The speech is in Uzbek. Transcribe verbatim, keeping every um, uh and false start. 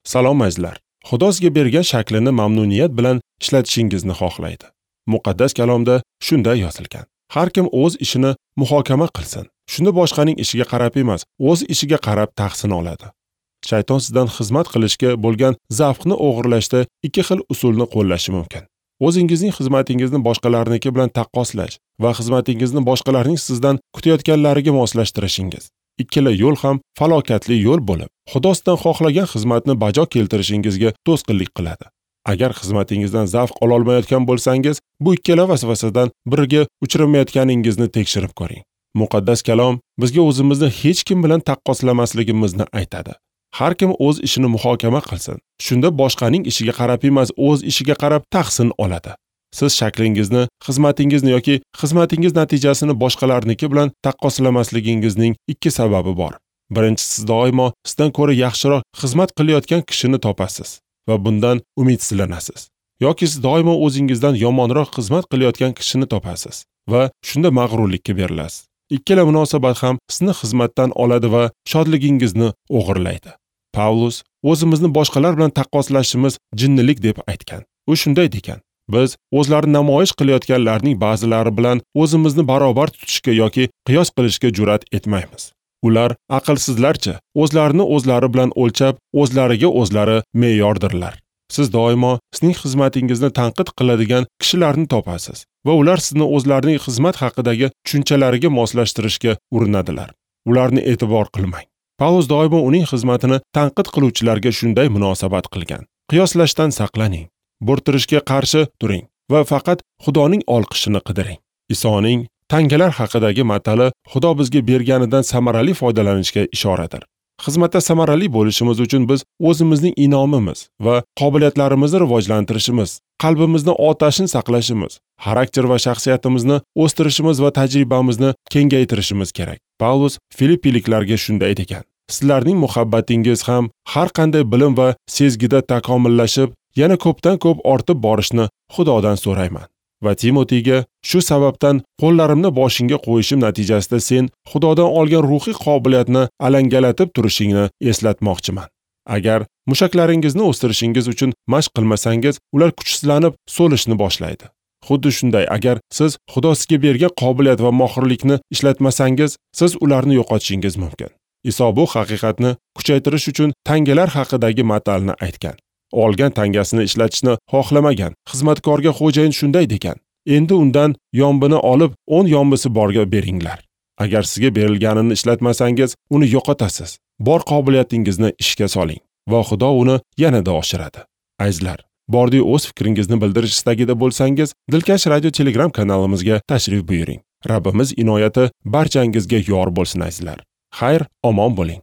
Salom azizlar. Xudo sizga bergan shaklini mamnuniyat bilan ishlatishingizni xohlaydi. Muqaddas kalomda shunday yozilgan: har kim o'z ishini muhokama qilsin. Shunda boshqaning ishiga qarab emas, o'z ishiga qarab tahsin oladi. Shayton sizdan xizmat qilishga bo'lgan zavqni o'g'irlashda ikki xil usulni qo'llashi mumkin. O'zingizning xizmatingizni boshqalarniki bilan taqqoslash va xizmatingizni boshqalarning sizdan kutayotganlariga moslashtirishingiz. Ikkala yo'l ham falokatli yo'l bo'lib, Xudo sizdan xohlagan xizmatni bajo keltirishingizga to'sqinlik qiladi. Agar xizmatingizdan zavq ola olmayotgan bo'lsangiz, bu ikkala vasvasadan biriga uchramayotganingizni tekshirib ko'ring. Muqaddas kalom bizga o'zimizni hech kim bilan taqqoslamasligimizni aytadi. Har kim o'z ishini muhokama qilsin. Shunda boshqaning ishiga qarab emas, o'z ishiga qarab tahsin oladi. Siz shaklingizni, xizmatingizni yoki xizmatingiz natijasini boshqalarniki bilan taqqoslamasligingizning ikki sababi bor. Birinchisi, siz doimo sizdan ko'ra yaxshiroq xizmat qilayotgan kishini topasiz va bundan umidsizlanasiz. Yoki siz doimo o'zingizdan yomonroq xizmat qilayotgan kishini topasiz va shunda mag'rurlikka berilasiz. Ikkala munosabat ham sizni xizmatdan oladi va shodligingizni o'g'irlaydi. Pavlus o'zimizni boshqalar bilan taqqoslashimiz jinnilik deb aytgan. U shunday degan: biz o'zlarini namoyish qilayotganlarning ba'zilari bilan o'zimizni barobar tutishga yoki qiyos qilishga jur'at etmaymiz. Ular aqlsizlarcha o'zlarini o'zlari bilan o'lchab, o'zlariga o'zlari me'yordirlar. Siz doimo sizning xizmatingizni tanqid qiladigan kishilarni topasiz va ular sizni o'zlarining xizmat haqidagi tushunchalariga moslashtirishga urinadilar. Ularni e'tibor qilmang. Pavlus doimo uning xizmatini tanqid qiluvchilarga shunday munosabat qilgan. Qiyoslashdan saqlaning, bo'rttirishga qarshi turing va faqat Xudoning olqishini qidiring. Isoning tangalar haqidagi matali Xudo bizga berganidan samarali foydalanishga ishoradir. Xizmatda samarali bo'lishimiz uchun biz o'zimizning inomimiz va qobiliyatlarimizni rivojlantirishimiz, qalbimizni otashin saqlashimiz, xarakter va shaxsiyatimizni o'stirishimiz va tajribamizni kengaytirishimiz kerak. Pavlus Filippiliklarga shunday degan: sizlarning muhabbatingiz ham har qanday bilim va sezgida takomillashib, yana ko'pdan ko'p ortib borishni Xudodan so'rayman. Va Timotiyga: shu sababdan qo'llarimni boshingga qo'yishim natijasida sen Xudodan olgan ruhiy qobiliyatni alangalatib turishingni eslatmoqchiman. Agar mushaklaringizni o'stirishingiz uchun mashq qilmasangiz, ular kuchsizlanib so'lishni boshlaydi. Xuddi shunday, agar siz Xudo sizga bergan qobiliyat va mohirlikni ishlatmasangiz, siz ularni yo'qotishingiz mumkin. Iso bu haqiqatni kuchaytirish uchun tangalar haqidagi matalni aytgan. Olgan tangasini ishlatishni xohlamagan xizmatkorga xo'jayin shunday degan: endi undan yombini olib, o'n yombisi borga beringlar. Agar sizga berilganini ishlatmasangiz, uni yo'qotasiz. Bor qobiliyatingizni ishga soling va Xudo uni yanada oshiradi. Azizlar, bordi o'z fikringizni bildirish istagida bo'lsangiz, Dilkash radio Telegram kanalimizga tashrif buyuring. Rabbimiz inoyati barchangizga yor bo'lsin azizlar. Xayr, omon bo'ling.